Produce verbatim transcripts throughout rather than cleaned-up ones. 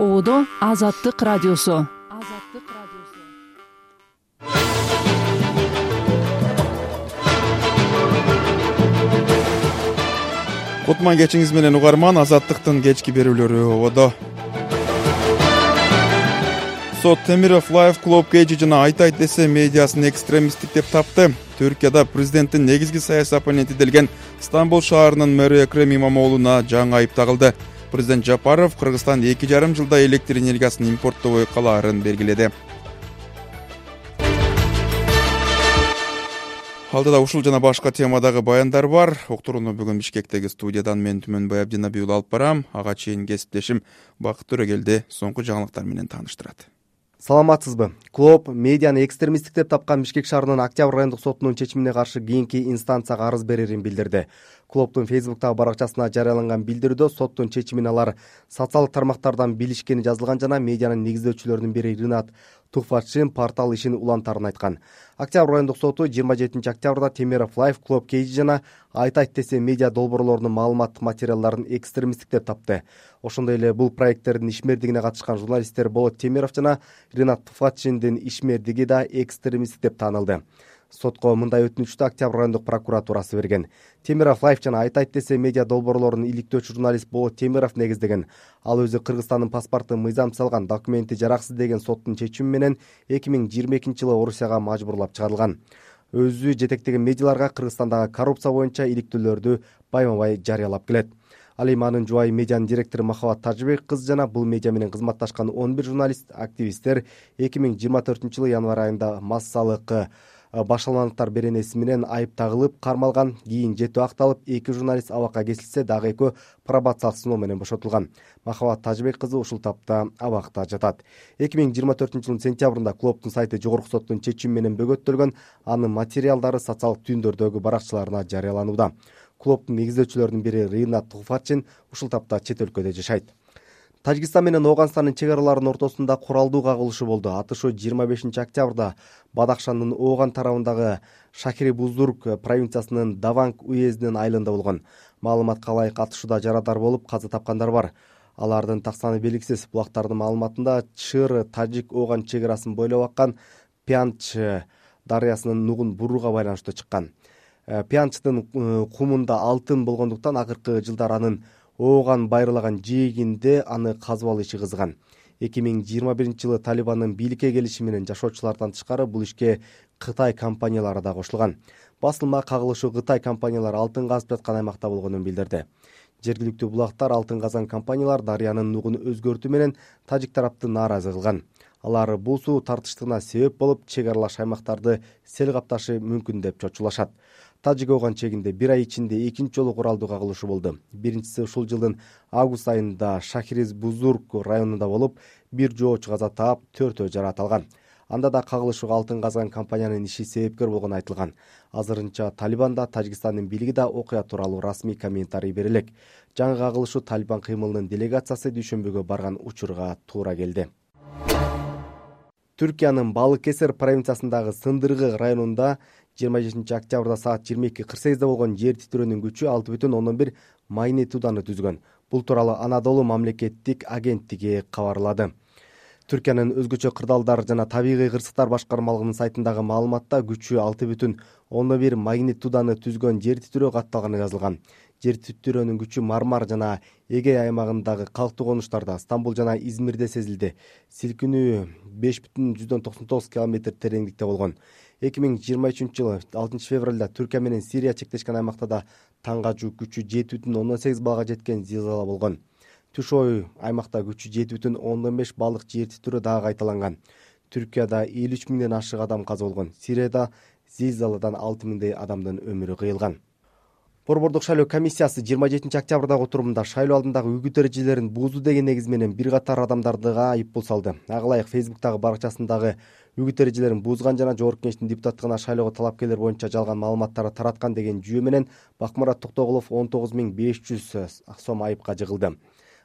Оодо Азаттык радиосу. Кутман кечиңиз менен угарман, Азаттыктын кечки берүүлөрү ободо. Сот Темиров Life Club Cage жана Айтайт десе медиасын экстремисттик деп тапты. Түркияда президенттин негизги саясий оппоненти делген Стамбул шаарынын мэрі Экрем Имамоğlu'на жаңы айып тагылды. Президент Жапаров Кыргызстан эки жарым жылда электр энергиясын импорттобой калаарын белгиледи. Алдыда ушул жана башка темадагы баяндар бар. Уктурууну бүгүн Бишкектеги студиядан мен Түмөнбай Абдинабиул алып барам. Ага чейин кесиптешим Бакыт Төрөгелди соңку жаңылыктар менен тааныштырат. Саламатсызбы? Клоп медианы экстремисттик деп тапкан Бишкек шаарынын Октябрь райондук сотунун чечимине каршы кийинки инстанцияга арыз берерин билдирди. Клоптун Фейсбуктагы баракчасына жарыяланган билдирүүдө соттун чечимин алар социалдык тармактардан билишкени жазылган жана медианын негиздөөчүлөрүнүн бири Ринат Тухватшин портал ишин улантарын айткан. Октябрь райондук соту жыйырма жетинчи октябрда Темиров Life Club Cage жана Айтайт десе медиа долбоорлорунун маалыматтык материалдарын экстремисттик деп тапты. Ошондой эле бул проекттердин ишмердигине катышкан журналисттер Болот Темиров жана Ринат Тухватшиндин ишмердиги да экстремисттик деп таанылды. Сотко мындай өтүнүчтү Октябрь райондук прокуратурасы берген. Темиров Life жана Айтайт десе медиа долбоорлорун иликтөөчү журналист Болот Темиров негиздеген. Ал өзү Кыргызстандын паспортун мыйзам салган, документи жараксыз деген соттун чечими менен эки миң жыйырма экинчи жылы Орусияга мажбурлап чыгарылган. Өзү жетектеген медиаларга Кыргызстандагы коррупция боюнча иликтөөлөрдү байма-бай жарыялап келет. Ал эми анын жубайы медианын директору Махабат Тажыбек кызы жана бул медиа менен кызматташкан он бир журналист, активисттер эки миң жыйырма төртүнчү жылы январь айында массалык башаламандыктар беренеси менен айып тагылып кармалган. Кийин жетүү акталып, эки журналист абакка кесилсе, дагы экөө пробациялык сыноо менен бошотулган. Махабат Тажыбек кызы ушул тапта абакта жатат. эки миң жыйырма төртүнчү жылдын сентябрында клубтун сайты жогорку соттун чечими менен бөгөттөлгөн. Анын материалдары социалдык түйүндөрдөгү баракчаларына жарыяланууда. Клубтун негиздөөчүлөрүнүн бири Ринат Тухватшин ушул тапта чет өлкөдө жашайт. Тажикстан менен Ооганстандын чек араларынын ортосунда куралдуу кагылышы болду. Атышуу жыйырма бешинчи октябрда Бадахшандын Ооган тарабындагы Шахири Бузург провинциясынын Даванг уездинин айылында болгон. Маалыматка ылайык атышууда жарадар болуп, каза тапкандар бар. Алардын так саны белгисиз. Булактардын маалыматында Чыр Тажик Ооган чек арасын бойлоп аккан Пянч дарыясынын нугун бурууга байланыштуу чыккан. Пянчтын кумунда алтын болгондуктан акыркы жылдар анын Ооган байырлаган жээгинде аны казып иши кызган. эки миң жыйырма биринчи жылы Талибандын бийликке келиши менен жашоочулардан тышкары бул ишке Кытай компаниялары да кошулган. Басылма кагылышуу Кытай компаниялары алтын казып жаткан аймакта болгонун билдирди. Жергиликтүү булактар алтын казган компаниялар дарыянын нугун өзгөртүү менен тажик тарапты нааразы кылган. Алар бул суу тартыштыгына себеп болуп, чек аралаш аймактарды сел капташы мүмкүн деп чочулашат. Тажик Ооган чегинде бир ай ичинде экинчи жолу куралдуу кагылышы болду. Биринчиси ушул жылдын август айында Шахириз Бузург районунда болуп, бир жоочу каза таап, төртөө жараат алган. Анда да кагылышууга алтын казган компаниянын иши себепкер болгону айтылган. Азырынча Талибанда Тажикстандын бийлиги да окуя тууралуу расмий комментарий бере элек. Жаңы кагылышуу Талибан кыймылынын делегациясы дүйшөмбүгө барган учурга туура келди. Түркиянын Балык Кесер провинциясындагы Сындыргы районунда жыйырма жетинчи октябрда саат жыйырма эки кырк сегизде болгон жер титирөөнүн күчү алты бүтүн ондон бир магнитуданы түзгөн. Бул тууралуу Анадолу мамлекеттик агенттиги кабарлады. Түркиянын өзгөчө кырдаалдар жана табигый кырсыктар башкармалыгынын сайтындагы маалыматта күчү алты бүтүн ондон бир магнитуданы түзгөн жер титирөө катталганы жазылган. Жер титирөөнүн күчү Мармар жана Эгей аймагындагы калктуу конуштарда, Стамбул жана Измирде сезилди. Силкинүү беш бүтүн жүздөн токсон тогуз километр тереңдикте болгон. эки миң жыйырма үчүнчү жылы алтынчы февралда Түркия менен Сирия чектешкен аймактарда таңгажуу күчү жети бүтүн ондон сегиз баллга жеткен зилзала болгон. Түшөй аймакта күчү жети бүтүн ондон беш баллык жер титирөө дагы кайталанган. Түркияда элүү үч миңден ашык адам каза болгон. Сирияда зилзаладан алты миңдей адамдын өмүрү кыйылган. Борбордук шайлоо комиссиясы жыйырма жетинчи октябрдагы отурумда шайлоо алдындагы үгүт эрежелерин буузуу деген негиз менен бир катар адамдардыга айыппул салды. Ага ылайык Фейсбуктагы баракчасындагы үгүт эрежелерин буузган жана жогорку кеңештин депутаттыгына шайлоого талапкерлер боюнча жалган маалыматтарды тараткан деген жүйө менен Бакмурат Токтоголов он тогуз миң беш жүз сом айыпка жыгылды.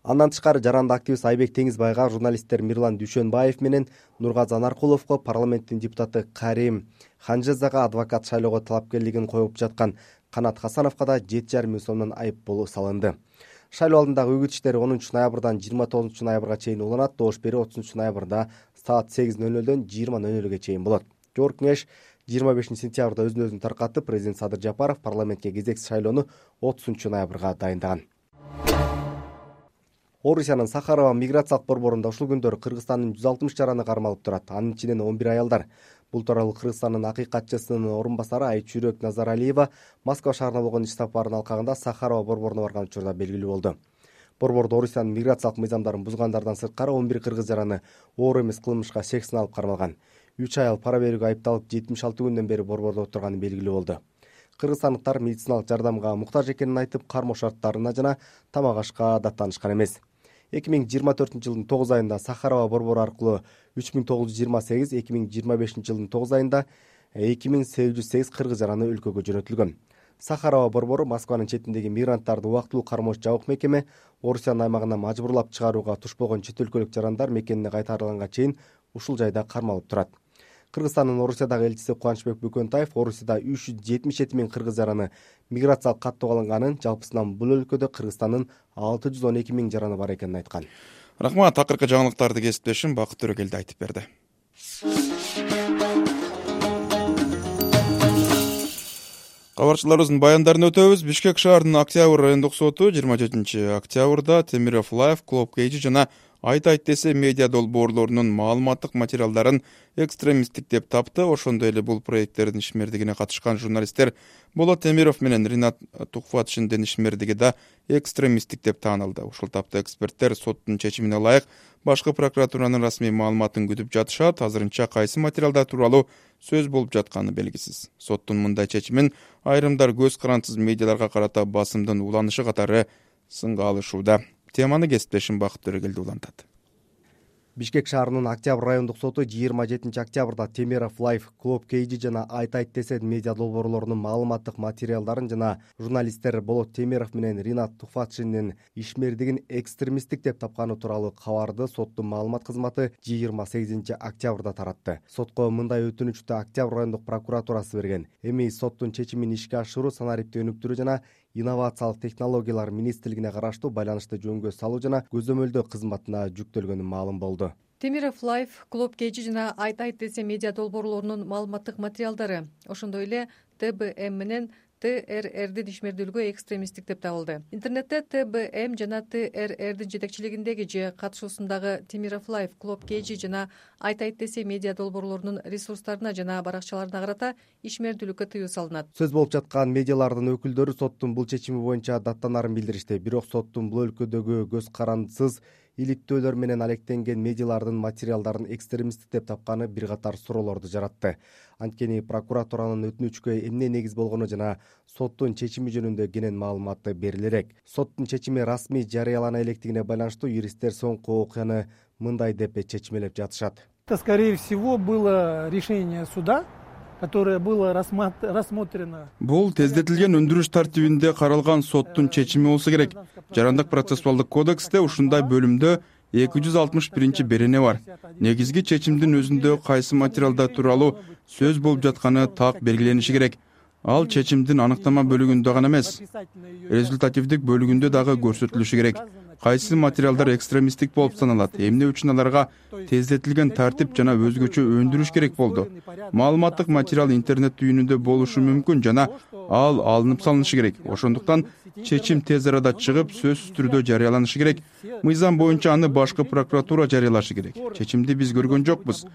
Андан тышкары жаранды активист Айбек Теңизбайга, журналисттер Мирлан Дүйшөнбаев менен Нургазы Анаркуловго, парламенттин депутаты Карим Ханжезага адвокат шайлоого талапкерлигин коюп жаткан Канат Хасановго да жети жарым миң сомдон айып болуу салынды. Шайлоо алдындагы үгүт иштери онунчу ноябрдан жыйырма тогузунчу ноябрга чейин уланат. Добуш берүү отузунчу ноябрда саат сегиз ноль нөлдөн жыйырма ноль нөлгө чейин болот. Жогорку кеңеш жыйырма бешинчи сентябрда өзүн өзүн таркатып, президент Садыр Жапаров парламентке кезексиз шайлоону отузунчу ноябрга дайындаган. Орусиянын Сахарова миграциялык борборунда ушул күндөрү Кыргызстандын жүз алтымыш жараны кармалып турат. Анын ичинен он бир аялдар. Бул тууралуу Кыргызстандын акыйкатчысынын орун басары Айчүрөк Назаралиева Москва шаарына болгон иш сапарынын алкагында Сахарова борборуна барган учурда белгилүү болду. Борбордо Орусиянын миграциялык мыйзамдарын бузгандардан сырткары он бир кыргыз жараны оор эмес кылмышка шек сыналып кармалган. үч аял пара берүүгө айыпталып жетимиш алты күндөн бери борбордо отурганы белгилүү болду. Кыргызстандыктар медициналык жардамга муктаж экенин айтып, кармоо шарттарына жана тамак ашка даттанышкан эмес. эки миң жыйырма төртүнчү жылдын тогуз айында Сахарова борбору аркылуу үч миң тогуз жүз жыйырма сегиз, эки миң жыйырма бешинчи жылдын тогуз айында эки миң сегиз жүз сегиз кыргыз жараны өлкөгө жөнөтүлгөн. Сахарова борбору Москванын четиндеги мигранттарды убактылуу кармоочу жабык мекеме Орусиянын аймагына мажбурлап чыгарууга туш болгон чет өлкөлүк жарандар мекенине кайтарылганга чейин ушул жайда кармалып турат. Кыргызстандын Орусиядагы элчиси Кубанычбек Бөкөнтаев Орусияда үч жүз жетимиш жети миң кыргыз жараны миграциялык каттоого алынганын, жалпысынан бул өлкөдө Кыргызстандын алты жүз он эки миң жараны бар экенин айткан. Рахмат, акыркы жаңылыктарды кесиптешим Бакыт Төрөкелди айтып берди. Кабарчыларыбыздын баяндарын өтөбүз. Бишкек шаарынын Октябрь райондук соту жыйырма жетинчи октябрда Темиров Live, Club Cage жана Айт айт десе медиа долбоорлорунун маалыматтык материалдарын экстремисттик деп тапты. Ошондой эле бул проекттердин ишмердигине катышкан журналисттер Болот Темиров менен Ринат Тухфатшиндин ишмердиги да экстремисттик деп таанылды. Ушул тапта эксперттер соттун чечимине ылайык башкы прокуратуранын расмий маалыматын күтүп жатышат. Азырынча кайсы материалдар тууралуу сөз болуп жатканы белгисиз. Соттун мындай чечимин айрымдар көз карандысыз медиаларга карата басымдын уланышы катары сынга алышууда. Теманы кесиптешим Бакыт Төрөкелди улантат. Бишкек шаарынын Октябрь райондук соту жыйырма жетинчи октябрда Темиров Live, Club Cage жана Айт айт десе медиа долбоорлорунун маалыматтык материалдарын жана журналисттер Болот Темиров менен Ринат Тухфатшиндин ишмердигин экстремисттик деп тапканы тууралуу кабарды соттун маалымат кызматы жыйырма сегизинчи октябрда таратты. Сотко мындай өтүнүчтү Октябрь райондук прокуратурасы берген. Эми соттун чечимин ишке ашыруу, санариптик өнүктүрүү жана инновациялык технологиялар министрлигине караштуу байланышты жөнгө салуу жана көзөмөлдөө кызматына жүктөлгөнү маалым болду. Темиров Live, Club Cage жана Айт айт десе медиа долбоорлорунун маалыматтык материалдары, ошондой эле Т Б М менен Т Р Рдин ишмердүүлүгү экстремисттик деп табылды. Интернетте Т Б М жана Т Р Рдин жетекчилигиндеги же катышуусундагы Темиров Live, Club Cage жана Айт айт десе медиа долбоорлорунун ресурстарына жана баракчаларына карата ишмердүүлүккө тыюу салынат. Сөз болуп жаткан медиалардын өкүлдөрү соттун бул чечими боюнча даттанарын билдиришти. Бирок соттун бул өлкөдөгү көз карандысыз иликтөөлөр менен алектенген медиалардын материалдарын экстремисттик деп тапканы бир катар суроолорду жаратты. Анткени прокуратуранын өтүнүчкө эмне негиз болгону жана соттун чечими жөнүндө кенен маалыматы бериле элек. Соттун чечими расмий жарыялана электигине байланыштуу юристтер соңку окуяны мындай деп чечмелеп жатышат. Это, скорее всего, было решение суда, которое было рассмотрено. Бул тездетилген өндүрүш тартибинде каралган соттун чечими болсо керек. Жарандык процессуалдык кодексте ушундай бөлүмдө эки жүз алтымыш биринчи берене бар. Негизги чечимдин өзүндө кайсы материалдар тууралуу сөз болуп жатканы так белгилениши керек. Ал чечимдин аныктама бөлүгүндө гана эмес, результативдик бөлүгүндө дагы көрсөтүлүшү керек. Кайсы материалдар экстремисттик болуп саналат, эмне үчүн аларга тездетилген тартип жана өзгөчө өндүрүш керек болду. Маалыматтык материал интернет түйүнүндө болушу мүмкүн жана ал алынып салынышы керек. Ошондуктан чечим тез арада чыгып, сөзсүз түрдө жарыяланышы керек. Мыйзам боюнча аны башкы прокуратура жарыялашы керек. Чечимди биз көргөн жокпуз.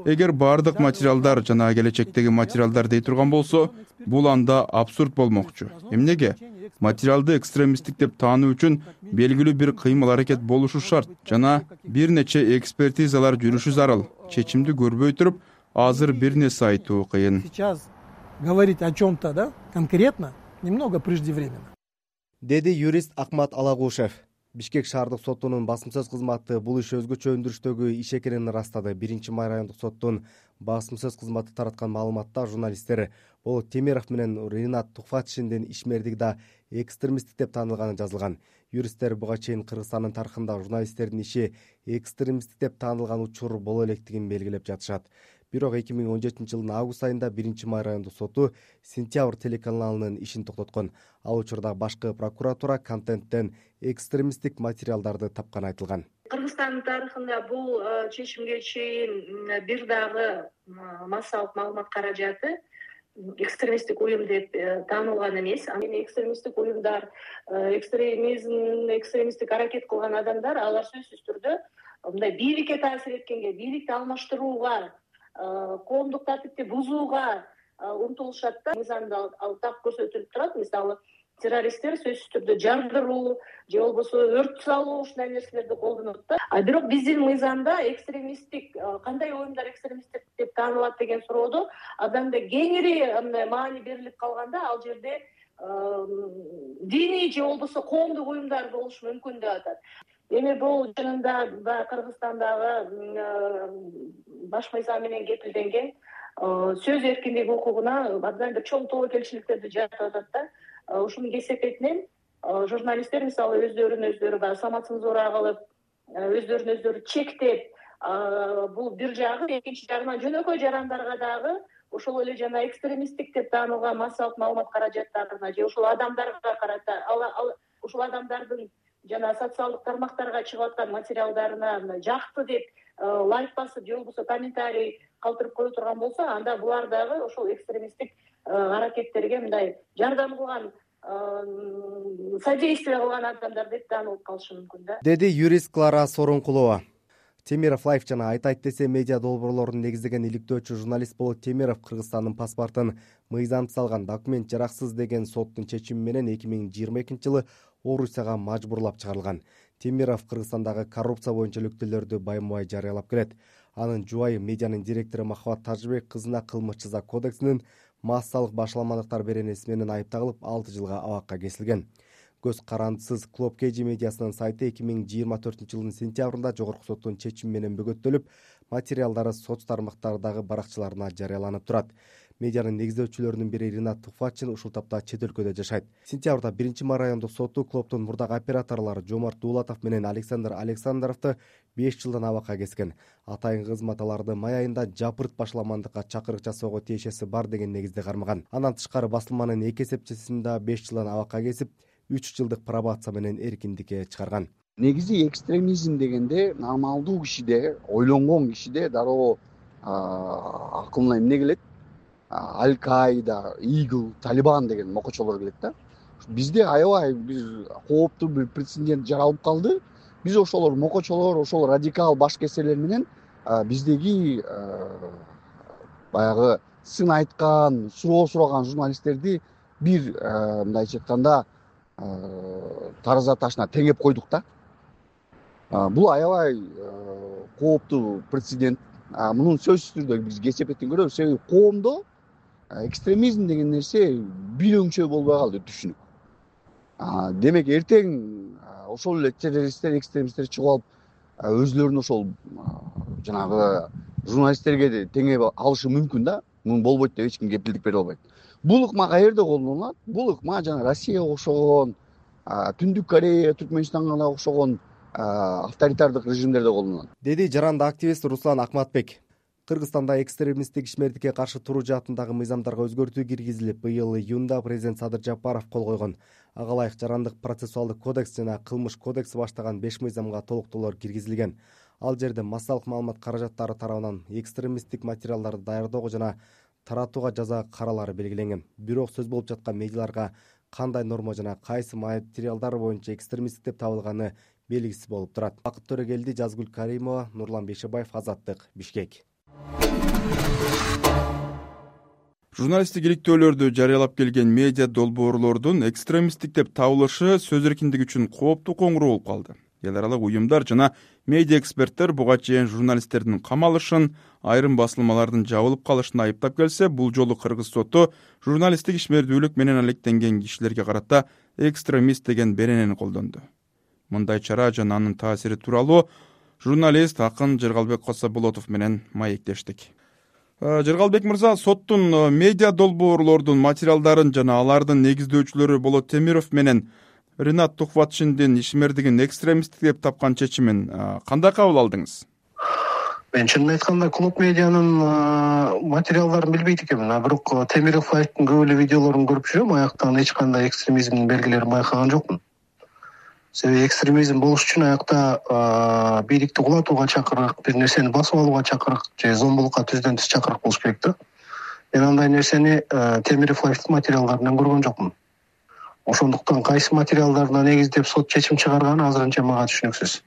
Эгер бардык материалдар жана келечектеги материалдар дей турган болсо, бул анда абсурд болмокчу. Эмнеге? Материалды экстремисттик деп таануу үчүн белгилүү бир кыймыл аракет болушу шарт жана бир нече экспертизалар жүрүшү зарыл. Чечимди көрбөй туруп, азыр бир нерсе айтуу кыйын. Сейчас говорить о чем-то, да, конкретно, немного преждевременно. Деди юрист Акмат Алагушев. Бишкек шаардык сотунун басым-сөз кызматы бул иш өзгөчө өндүрүштөгү иш экенин ырастады. биринчи май райондук соттун басым-сөз кызматы тараткан маалыматта журналисттер Болот Темиров менен Ринат Тухфатшиндин ишмердиги да экстремисттик деп таанылганы жазылган. Юристтер буга чейин Кыргызстандын тарыхында журналисттердин иши экстремисттик деп таанылган учур боло электигин белгилеп жатышат. Бирок эки миң он жетинчи жылдын август айында биринчи май райондук соту Сентябрь телеканалынын ишин токтоткон. Ал учурда башкы прокуратура контенттен экстремисттик материалдарды тапканы айтылган. Кыргызстандын тарыхында бул чечимге чейин бир дагы массалык маалымат каражаты экстремисттик уюм деп таанылган эмес. Анан экстремисттик уюмдар, экстремизм, экстремисттик аракет кылган адамдар, алар сөзсүз түрдө мындай бийликке таасир эткенге, бийликти алмаштырууга, коомдук тартипти бузууга умтулушат да. Мыйзамда ал так көрсөтүлүп турат. Мисалы, террористтер сөзсүз түрдө жардыруу же болбосо өрт салуу ушундай нерселерди колдонот да. А бирок биздин мыйзамда экстремисттик кандай уюмдар экстремисттик деп таанылат деген суроодо адамда кеңири маани берилип калганда, ал жерде диний же болбосо коомдук уюмдар болушу мүмкүн деп атат. Эми бул чынында Кыргызстандагы баш мыйзам менен кепилденген сөз эркиндиги укугуна абдан бир чоң тобокелчиликтерди жаратып атат да. Ушунун кесепетинен журналисттер мисалы өздөрүн өздөрү баягы самоцензура кылып, өздөрүн өздөрү чектеп, бул бир жагы, экинчи жагынан жөнөкөй жарандарга дагы ошол эле жана экстремисттик деп таанылган массалык маалымат каражаттарына же ошол адамдарга карата, ошол адамдардын жана социалдык тармактарга чыгып аткан материалдарына жакты деп лайк басып же болбосо комментарий калтырып кое турган болсо, анда булар дагы ошол экстремисттик аракеттерге мындай жардам кылган, содействие кылган адамдар деп таанылып калышы мүмкүн да, деди юрист Клара Сооронкулова. Темиров Лайф жана Айтайт десе медиа долбоорлорун негиздеген иликтөөчү журналист Болот Темиров Кыргызстандын паспортун мыйзамсыз алган документ жараксыз деген соттун чечими менен эки миң жыйырма экинчи жылы Орусияга мажбурлап чыгарылган. Темиров Кыргызстандагы коррупция боюнча иликтөөлөрдү байма-бай жарыялап келет. Анын жубайы медианын директору Махабат Тажыбек кызына кылмыш жаза кодексинин массалык башаламалыктар беренеси менен айыпталып алты жылга абакка кесилген. Көз карандысыз Клоп Кей Джи медиасынын сайты эки миң жыйырма төртүнчү жылдын сентябрында жогорку соттун чечими менен бөгөттөлүп, материалдары соц тармактардагы баракчаларына жарыяланып турат. Медианын негиздөөчүлөрүнүн бири Ринат Туфачин ушул тапта чет өлкөдө жашайт. Сентябрда биринчи май райондук соту Клоптун мурдагы операторлору Жомарт Дуулатов менен Александр Александровду беш жылдан абакка кескен. Атайын кызмат аларды май айында жапырт башаламандыкка чакырык жасоого тиешеси бар деген негизде кармаган. Андан тышкары басылманын эки эсепчисин да беш жылдан абакка кесип, үч жылдык пробация менен эркиндикке чыгарган. Негизи экстремизм дегенде нормалдуу кишиде, ойлонгон кишиде дароо акылына эмне келет? Аль-Каида, Игл, Талибан деген мокочолор келет да. Бизде аябай бир кооптуу бир прецедент жаралып калды. Биз ошолор мокочолор, ошол радикал баш кесерлер менен биздеги баягы сын айткан, суроо сураган журналисттерди бир мындайча айтканда тараза ташына теңеп койдук да. Бул аябай кооптуу прецедент. Мунун сөзсүз түрдө биз кесепетин көрөбүз. Себеби коомдо экстремизм деген нерсе бир өңчө болбой калды түшүнүк. Демек эртең ошол эле террористтер, экстремисттер чыгып алып, өзлөрүн ошол жанагы журналисттерге теңеп алышы мүмкүн да. Мун болбойт деп эч ким кепилдик бере албайт. Бул ыкма каерде колдонулат? Бул ыкма жана Россияга окшогон, Түндүк Корея, Түркмөнстанга окшогон авторитардык режимдерде колдонулат, деди жаранды активист Руслан Акматбек. Кыргызстанда экстремисттик ишмердикке каршы туруу жаатындагы мыйзамдарга өзгөртүү киргизилип, быйыл июнда президент Садыр Жапаров кол койгон. Ага ылайык жарандык процессуалдык кодекс жана кылмыш кодекси баштаган беш мыйзамга толуктоолор киргизилген. Ал жерде массалык маалымат каражаттары тарабынан экстремисттик материалдарды даярдоого жана таратууга жаза каралары белгиленген. Бирок сөз болуп жаткан медиаларга кандай норма жана кайсы материалдар боюнча экстремисттик деп табылганы белгисиз болуп турат. Бакыт Төрөгелди, Жазгүл Каримова, Нурлан Бейшебаев, Азаттык, Бишкек. Журналисттик иликтөөлөрдү жарыялап келген медиа долбоорлордун экстремисттик деп табылышы сөз эркиндиги үчүн кооптуу коңгуроо болуп калды. Эл аралык уюмдар жана медиа эксперттер буга чейин журналисттердин камалышын, айрым басылмалардын жабылып калышын айыптап келсе, бул жолу Кыргыз соту журналисттик ишмердүүлүк менен алектенген кишилерге карата экстремист деген беренени колдонду. Мындай чара жана анын таасири тууралуу журналист Акын Жыргалбек Кособолотов менен маектештик. Жыргалбек мырза, соттун медиа долбоорлордун материалдарын жана алардын негиздөөчүлөрү Болот Темиров менен Ринат Тухватшиндин ишмердигин экстремисттик деп тапкан чечимин кандай кабыл алдыңыз? Мен чынын айтканда клуб медианын материалдарын билбейт экенмин, а бирок Темиров Лайфтын көп эле видеолорун көрүп жүрөм, аяктан эч кандай экстремизмдин белгилерин байкаган жокмун. Себеби экстремизм болуш үчүн аякта бийликти кулатууга чакырык, бир нерсени басып алууга чакырык же зомбулукка түздөн түз чакырык болуш керек да. Мен андай нерсени Темиров Лайфтын материалдарынан көргөн жокмун. Ошондуктан кайсы материалдарына негиздеп сот чечим чыгарганы азырынча мага түшүнүксүз.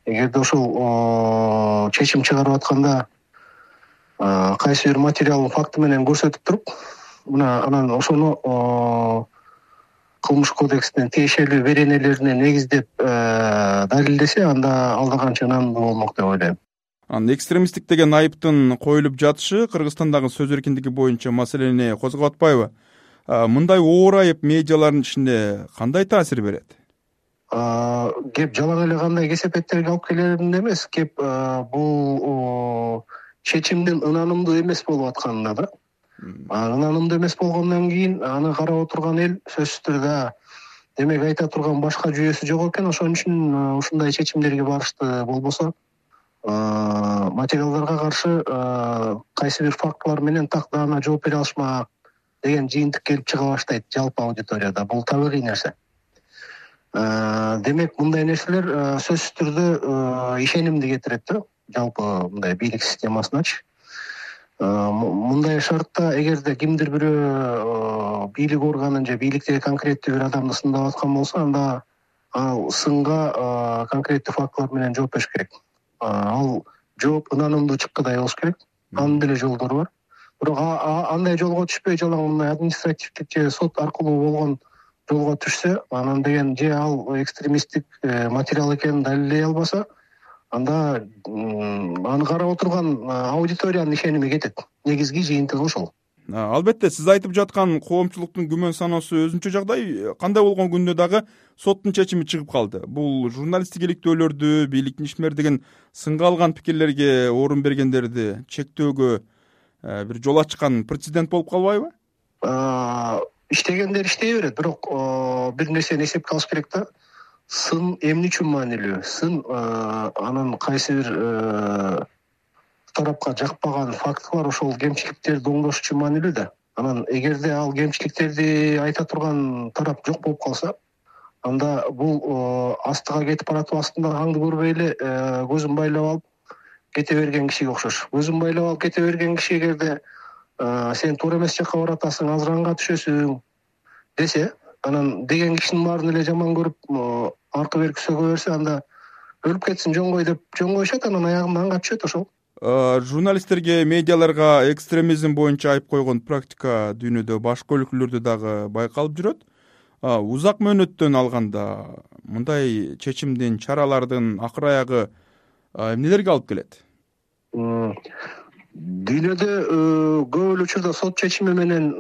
Эгерде ошол чечим чыгарып атканда кайсы бир материалын факты менен көрсөтүп туруп, мына анан ошону кылмыш кодексинин тиешелүү беренелерине негиздеп далилдесе, анда алда канча ынандуу болмок деп ойлойм. Анан экстремисттик деген айыптын коюлуп жатышы Кыргызстандагы сөз эркиндиги боюнча маселени козгоп атпайбы? Мындай оор айып медиалардын ишине кандай таасир берет? Кеп жалаң эле кандай кесепеттерге алып келеринде эмес, кеп бул чечимдин ынанымдуу эмес болуп атканына да. Ынанымдуу эмес болгондон кийин аны карап отурган эл сөзсүз түрдө демек айта турган башка жүйөсү жок экен, ошон үчүн ушундай чечимдерге барышты. Болбосо материалдарга каршы кайсы бир фактылар менен так даана жооп бере алышмак деген жыйынтык келип чыга баштайт жалпы аудиторияда. Бул табигый нерсе. Демек мындай нерселер сөзсүз түрдө ишенимди кетирет да, жалпы мындай бийлик системасыначы. Мындай шартта эгерде кимдир бирөө бийлик органын же бийликтеги конкреттүү бир адамды сындап аткан болсо, анда ал сынга конкреттүү фактылар менен жооп бериш керек. Ал жооп ынанымдуу чыккыдай болуш керек. Анын деле жолдору бар. Бирок андай жолго түшпөй, жалаң мындай административдик же сот аркылуу болгон жолго түшсө, анан деген же ал экстремисттик материал экенин далилдей албаса, анда аны карап отурган аудиториянын ишеними кетет. Негизги жыйынтыгы ошол. Албетте, сиз айтып жаткан коомчулуктун күмөн саноосу өзүнчө жагдай. Кандай болгон күндө дагы соттун чечими чыгып калды. Бул журналисттик иликтөөлөрдү, бийликтин ишмердигин сынга алган пикирлерге орун бергендерди чектөөгө бир жол ачкан прецедент болуп калбайбы? Иштегендер иштей берет, бирок бир нерсени эсепке алыш керек да. Сын эмне үчүн маанилүү? Сын анын кайсы бир тарапка жакпаган фактылар, ошол кемчиликтерди оңдош үчүн маанилүү да. Анан эгерде ал кемчиликтерди айта турган тарап жок болуп калса, анда бул астыга кетип баратып, астында аңды көрбөй эле көзүн байлап алып кете берген кишиге окшош. Көзүн байлап алып кете берген киши эгерде сен туура эмес жакка баратасың, азыр аңга түшөсүң десе, анан деген кишинин баарын эле жаман көрүп аркы берки сөгө берсе, анда өлүп кетсин жоңгой деп жөн коюшат, анан аягында аңга түшөт ошол. Журналисттерге, медиаларга экстремизм боюнча айып койгон практика дүйнөдө башка өлкөлөрдө дагы байкалып жүрөт. Узак мөөнөттөн алганда мындай чечимдин, чаралардын акыр аягы эмнелерге алып келет? Дүйнөдө көп эле учурда сот чечими менен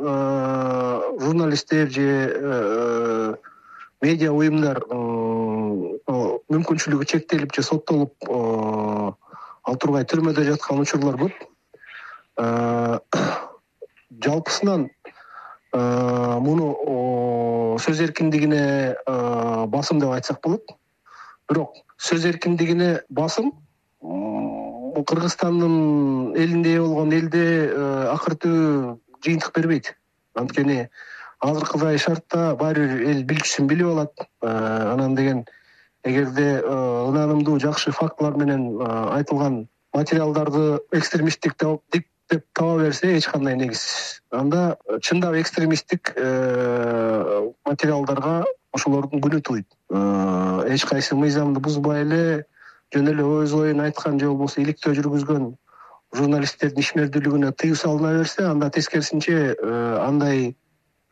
журналисттер же медиа уюмдар мүмкүнчүлүгү чектелип же соттолуп ал тургай түрмөдө жаткан учурлар көп. Жалпысынан муну сөз эркиндигине басым деп айтсак болот. Бирок сөз эркиндигине басым Кыргызстандын элинде болгон элде акыртуу жыйынтык бербейт. Анткени азыркыдай шартта баары бир эл билчүсүн билип алат. Анан деген эгерде ынанымдуу жакшы фактылар менен айтылган материалдарды экстремисттик деп таба берсе, эч кандай негизсиз. Анда чындап экстремисттик материалдарга ошолордун күнү тууйт. Эч кайсы мыйзамды бузбай эле жөн эле өз оюн айткан же болбосо иликтөө жүргүзгөн журналисттердин ишмердүүлүгүнө тыюу салына берсе, анда тескерисинче андай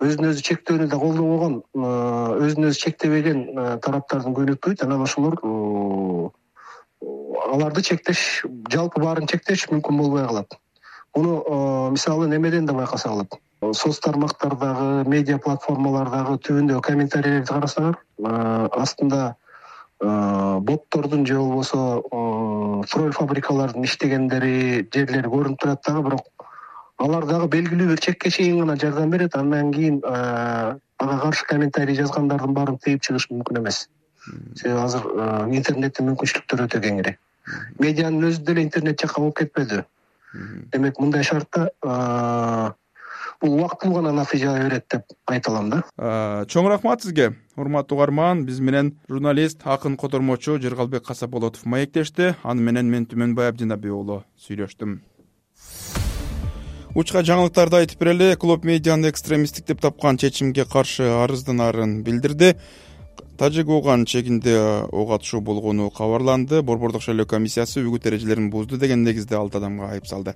өзүн өзү чектөөнү да колдобогон, өзүн өзү чектебеген тараптардын күнү тууйт. Анан ошолор аларды чектеш, жалпы баарын чектеш мүмкүн болбой калат. Муну мисалы немеден да байкаса болот. Соц тармактардагы, медиа платформалардагы түбүндө комментарийлерди карасаңар, астында боттордун же болбосо тролль фабрикалардын иштегендери жерлери көрүнүп турат дагы, бирок алар дагы белгилүү бир чекке чейин гана жардам берет. Андан кийин ага каршы комментарий жазгандардын баарын тыйып чыгыш мүмкүн эмес. Себеби азыр интернеттин мүмкүнчүлүктөрү өтө кеңири. медианын өзү деле интернет жакка болуп кетпеди. Демек мындай шартта бул убактылуу гана натыйжа берет деп айта алам да. Чоң рахмат сизге, урматтуу угарман. Биз менен журналист, акын котормочу Жыргалбек Касапболотов маектешти. Аны менен мен Түмөнбай Абдинабек уулу сүйлөштүм. Учка жаңылыктарды айтып берели. Клоп медианы экстремисттик деп тапкан чечимге каршы арызданарын билдирди. Тажик Ооган чегинде ок атышуу болгону кабарланды. Борбордук шайлоо комиссиясы үгүт эрежелерин бузду деген негизде алты адамга айып салды.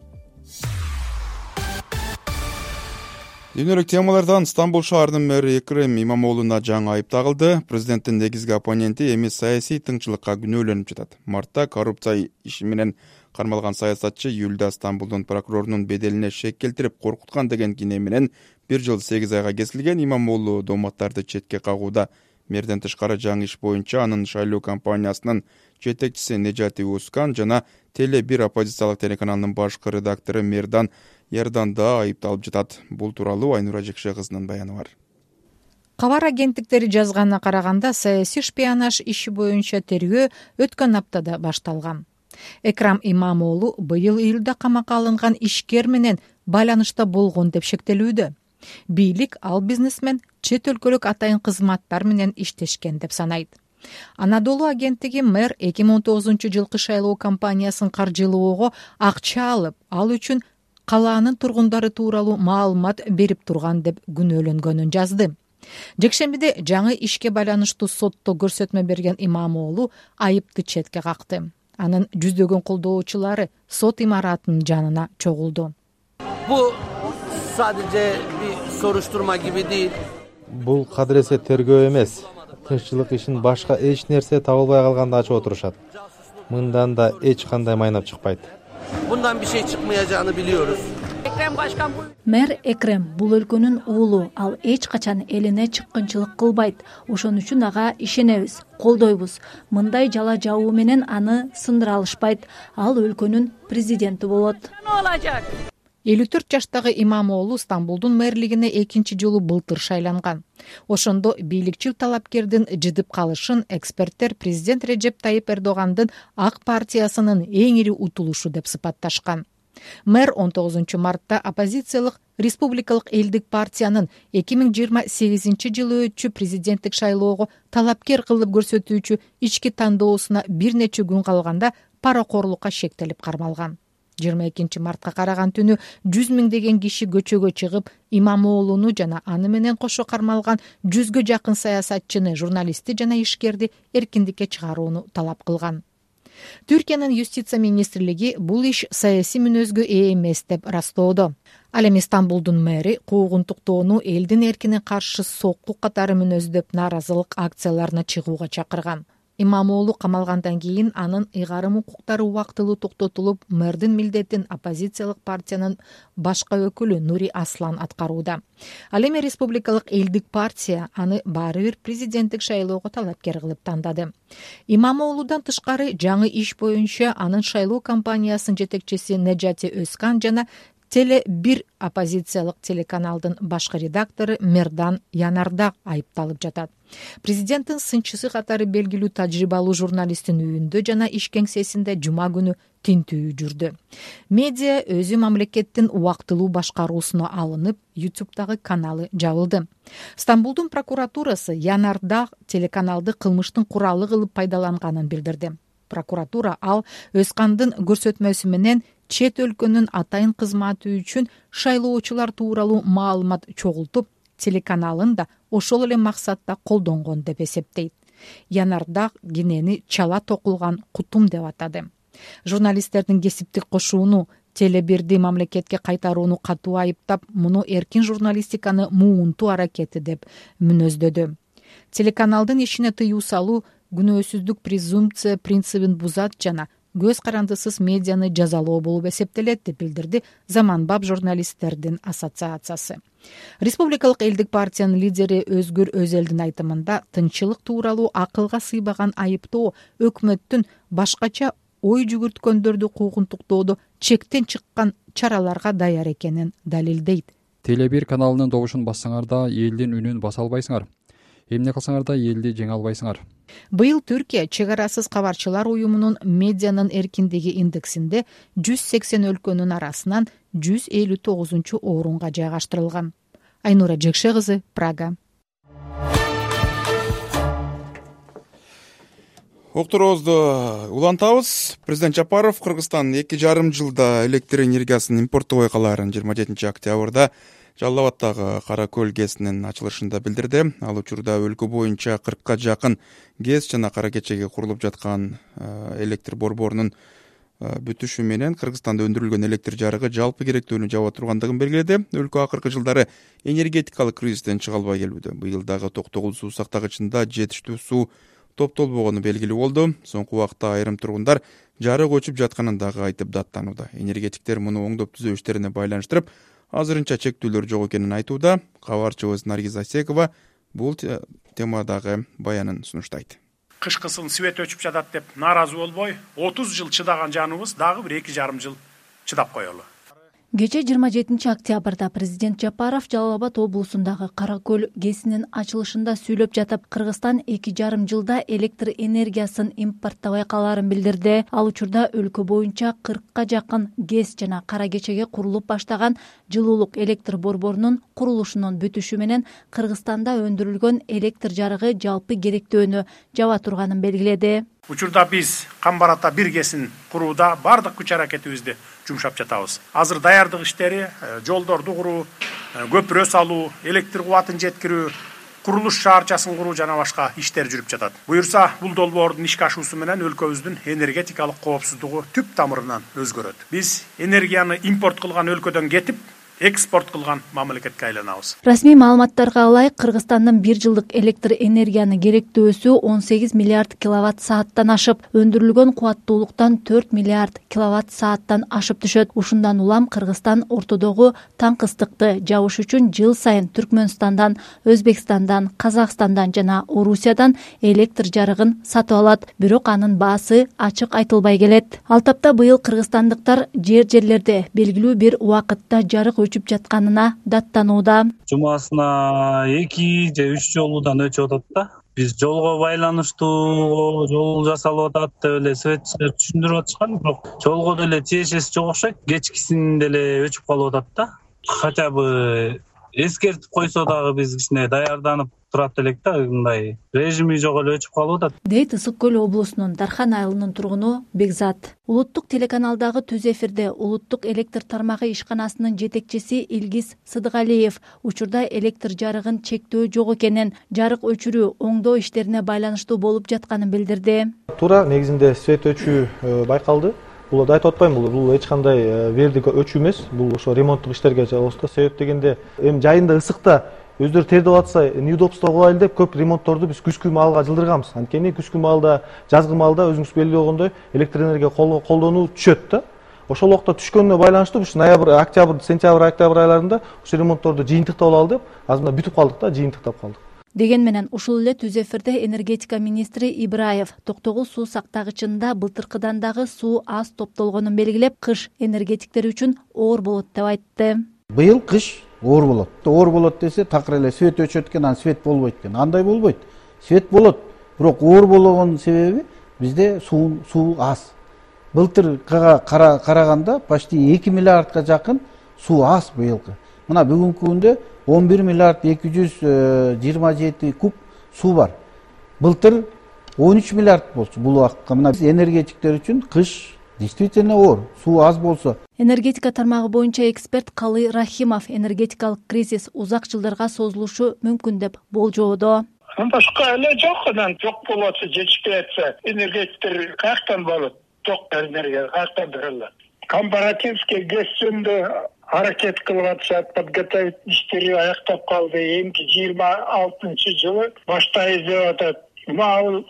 Дүйнөлүк темалардан Стамбул шаарынын мэри Экрем Имамоолуна жаңы айып тагылды. Президенттин негизги оппоненти эми саясий тыңчылыкка күнөөлөнүп жатат. Мартта коррупция иши менен кармалган саясатчы июлда Стамбулдун прокурорунун беделине шек келтирип коркуткан деген кине менен бир жыл сегиз айга кесилген. Имамоолу дооматтарды четке кагууда. Мэрден тышкары жаңы иш боюнча анын шайлоо компаниясынын жетекчиси Нежати Ускан жана Теле бир оппозициялык телеканалынын башкы редактору Мердан Ярдан да айыпталып жатат. Бул тууралуу Айнура Жекше кызынын баяны бар. Кабар агенттиктери жазганына караганда, саясий шпионаж иши боюнча тергөө өткөн аптада башталган. Экрам Имамоолу быйыл июлда камакка алынган ишкер менен байланышта болгон деп шектелүүдө. Бийлик ал бизнесмен чет өлкөлүк атайын кызматтар менен иштешкен деп санайт. Анадолу агенттиги мэр эки миң он тогузунчу жылкы шайлоо кампаниясын каржылоого акча алып, ал үчүн калаанын тургундары тууралуу маалымат берип турган деп күнөөлөнгөнүн жазды. Жекшембиде жаңы ишке байланыштуу сотто көрсөтмө берген Имамоолу айыпты четке какты. Анын жүздөгөн колдоочулары сот имаратынын жанына чогулду. Бул sadece bir soruşturma gibi değil. Бул кадыресе тергөө эмес. Тынччылык ишин башка эч нерсе табылбай калганда ачып отурушат. Мындан да эч кандай майнап чыкпайт. Bundan bir şey çıkmayacağını biliyoruz. Мэр Экрем бул өлкөнүн уулу, ал эч качан элине чыккынчылык кылбайт. Ошон үчүн ага ишенебиз, колдойбуз. Мындай жала жабуу менен аны сындыра алышпайт. Ал өлкөнүн президенти болот. элүү төрт жаштагы Имамоолу Стамбулдун мэрлигине экинчи жолу былтыр шайланган. Ошондо бийликчил талапкердин жыдып калышын эксперттер президент Режеп Тайип Эрдогандын ак партиясынын эң ири утулушу деп сыпатташкан. Мэр он тогузунчу мартта оппозициялык Республикалык элдик партиянын эки миң жыйырма сегизинчи жылы өтчү президенттик шайлоого талапкер кылып көрсөтүүчү ички тандоосуна бир нече күн калганда паракорлукка шектелип кармалган. жыйырма экинчи мартка караган түнү жүз миңдеген киши көчөгө чыгып, Имамоолуну жана аны менен кошо кармалган жүзгө жакын саясатчыны, журналистти жана ишкерди эркиндикке чыгарууну талап кылган. Түркиянын юстиция министрлиги бул иш саясий мүнөзгө ээ эмес деп ырастоодо. Ал эми Стамбулдун мэри куугунтуктоону элдин эркине каршы сокку катары мүнөздөп нааразылык акцияларына чыгууга чакырган. Имамоолу камалгандан кийин анын ыйгарым укуктары убактылуу токтотулуп, мэрдин милдетин оппозициялык партиянын башка өкүлү Нури Аслан аткарууда. Ал эми Республикалык элдик партия аны баары бир президенттик шайлоого талапкер кылып тандады. Имамоолудан тышкары жаңы иш боюнча анын шайлоо кампаниясынын жетекчиси Нежати Өзкан жана Теле бир оппозициялык телеканалдын башкы редактору Мердан Янардак айыпталып жатат. Президенттин сынчысы катары белгилүү тажрыйбалуу журналисттин үйүндө жана иш кеңсесинде жума күнү тинтүү жүрдү. Медиа өзү мамлекеттин убактылуу башкаруусуна алынып, ютубтагы каналы жабылды. Стамбулдун прокуратурасы Янардак телеканалды кылмыштын куралы кылып пайдаланганын билдирди. Прокуратура ал Өзкандын көрсөтмөсү менен чет өлкөнүн атайын кызматы үчүн шайлоочулар тууралуу маалымат чогултуп, телеканалын да ошол эле максатта колдонгон деп эсептейт. Янардак кенени чала токулган кутум деп атады. Журналисттердин кесиптик кошууну, Теле бирди мамлекетке кайтарууну катуу айыптап, муну эркин журналистиканы муунтуу аракети деп мүнөздөдү. Телеканалдын ишине тыюу салуу күнөөсүздүк презумпция принцибин бузат жана көз карандысыз медианы жазалоо болуп эсептелет деп билдирди Заманбап журналисттердин ассоциациясы. Республикалык элдик партиянын лидери Өзгүр Өзелдин айтымында тынччылык тууралуу акылга сыйбаган айыптоо өкмөттүн башкача ой жүгүрткөндөрдү куугунтуктоодо чектен чыккан чараларга даяр экенин далилдейт. Теле бир каналынын добушун бассаңар да элдин үнүн баса албайсыңар. Эмне кылсаңар да элди жеңе албайсыңар. Быйыл Түркия чек арасыз кабарчылар уюмунун медианын эркиндиги индексинде жүз сексен өлкөнүн арасынан жүз элүү тогузунчу орунга жайгаштырылган. Айнура Жекше кызы, Прага. Окторобузду улантабыз. Президент Жапаров Кыргызстан эки жарым жылда электр энергиясын импорттобой калаарын жыйырма жетинчи октябрда Жалал Абаддагы Кара көл ГЭСинин ачылышында билдирди. Ал учурда өлкө боюнча кыркка жакын ГЭС жана Кара Кечеге курулуп жаткан электр борборунун бүтүшү менен Кыргызстанда өндүрүлгөн электр жарыгы жалпы керектүүнү жаба тургандыгын белгиледи. Өлкө акыркы жылдары энергетикалык кризистен чыга албай келүүдө. Быйыл дагы токтогул суу сактагычында жетиштүү суу топтолбогону белгилүү болду. Соңку убакта айрым тургундар жарык өчүп жатканын дагы айтып даттанууда. Энергетиктер муну оңдоп түзөө иштерине байланыштырып, азырынча чектүүлөр жок экенин айтууда. Кабарчыбыз Наргиз Асекова бул темадагы баянын сунуштайт. Кышкысын свет өчүп жатат деп нааразы болбой, отуз жыл чыдаган жаныбыз дагы бир эки жарым жыл чыдап коелу. Кечээ жыйырма жетинчи октябрда президент Жапаров Жалал Абад облусундагы Кара көл ГЭСинин ачылышында сүйлөп жатып, Кыргызстан эки жарым жылда электр энергиясын импорттобой калаарын билдирди. Ал учурда өлкө боюнча кыркка жакын ГЭС жана Кара Кечеге курулуп баштаган жылуулук электр борборунун курулушунун бүтүшү менен Кыргызстанда өндүрүлгөн электр жарыгы жалпы керектөөнү жаба турганын белгиледи. Учурда биз Камбарата бир ГЭСин курууда бардык күч аракетибизди жумшап жатабыз. Азыр даярдык иштери, жолдорду куруу, көпүрө салуу, электр кубатын жеткирүү, курулуш шаарчасын куруу жана башка иштер жүрүп жатат. Буюрса, бул долбоордун ишке ашуусу менен өлкөбүздүн энергетикалык коопсуздугу түп тамырынан өзгөрөт. Биз энергияны импорт кылган өлкөдөн кетип, экспорт кылган мамлекетке айланабыз. Расмий маалыматтарга ылайык, Кыргызстандын бир жылдык электр энергияны керектөөсү он сегиз миллиард киловатт сааттан ашып, өндүрүлгөн кубаттуулуктан төрт миллиард киловатт сааттан ашып түшөт. Ушундан улам Кыргызстан ортодогу таң ыстыкты жабыш үчүн жыл сайын Түркмөнстандан, Өзбекстандан, Казакстандан жана Орусиядан электр жарыгын сатып алат. Бирок анын баасы ачык айтылбай келет. Ал тапта быйыл кыргызстандыктар жер жерлерде белгилүү бир убакытта жарык өчүп жатканына даттанууда. Жумасына эки же үч жолудан өчүп атат да. Биз жолго байланыштуу жол жасалып атат деп эле светчилер түшүндүрүп атышкан, бирок жолго деле тиешеси жок окшойт. Кечкисин деле өчүп калып атат да. Хотя бы эскертип койсо дагы биз кичине даярданып турат элек да, мындай режими жок эле өчүп калып атат. Дейт Ысык көл облусунун Дархан айылынын тургуну Бекзат. Улуттук телеканалдагы түз эфирде улуттук электр тармагы ишканасынын жетекчиси Илгиз Сыдыгалиев учурда электр жарыгын чектөө жок экенин, жарык өчүрүү, оңдоо иштерине байланыштуу болуп жатканын билдирди. Туура негизинде свет өчүү байкалды. Бул да айтып атпайм, бул эч кандай вердик өчүү эмес. Бул ошо ремонттук иштерге жалгасты. Себеп дегенде эми жайында ысыкта өздөрү тердеп атса, неудобство кылайлы деп көп ремонтторду биз күзгү маалга жылдырганбыз. Анткени күзгү маалда, жазгы маалда өзүңүз белгилүү болгондой электр энергия колдонуу түшөт да. Ошол убакта түшкөнүнө байланыштуу ушу ноябрь, октябрь, сентябрь, октябрь айларында ушу ремонтторду жыйынтыктап алалы деп, азыр мына бүтүп калдык да, жыйынтыктап калдык. Деген менен ушул эле түз эфирде энергетика министри Ибраев токтогул суу сактагычында былтыркыдан дагы суу аз топтолгонун белгилеп, кыш энергетиктер үчүн оор болот деп айтты. Быйыл кыш оор болот. Оор болот десе, такыр эле свет өчөт экен, анан свет болбойт экен. Андай болбойт. Свет болот, бирок оор болгон себеби бизде суу суу аз. Былтыркыга караганда почти эки миллиардка жакын суу аз быйылкы. Мына бүгүнкү күндө он бир миллиард эки жүз жыйырма жети куб суу бар. Былтыр он үч миллиард болчу бул убакытка. Мына энергетиктер үчүн кыш действительно оор, суу аз болсо. Энергетика тармагы боюнча эксперт Калый Рахимов энергетикалык кризис узак жылдарга созулушу мүмкүн деп болжоодо. Башка эле жок, анан жок болот, жетишпей атса, энергетиктер каяктан болот? Жок энергия каяктан берилет? Компаративский ГЭСинде аракет кылып атышат, подготовить иштери аяктап калды. Эми жыйырма алтынчы жылы баштайбыз деп атат. Мына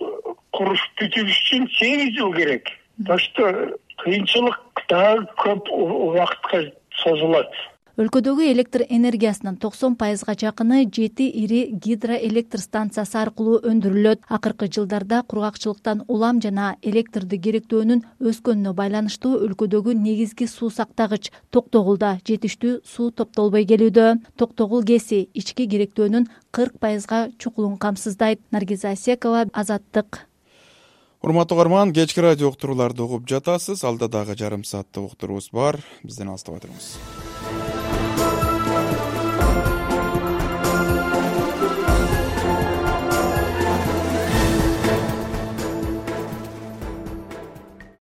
куруш бүтүш үчүн сегиз жыл керек. Так что кыйынчылык дагы көп убакытка созулат. Өлкөдөгү электр энергиясынын токсон пайызга жакыны жети ири гидроэлектр станциясы аркылуу өндүрүлөт. Акыркы жылдарда кургакчылыктан улам жана электрди керектөөнүн өскөнүнө байланыштуу өлкөдөгү негизги суу сактагыч Токтогулда жетиштүү суу топтолбой келүүдө. Токтогул КЭСи ички керектөөнүн кырк пайызга чукулун камсыздайт. Наргиза Асекова, Азаттык. Урматтуу угарман, кечки радио уктурууларды угуп жатасыз. Алда дагы жарым сааттык уктуруубуз бар. Бизден алыстабай туруңуз.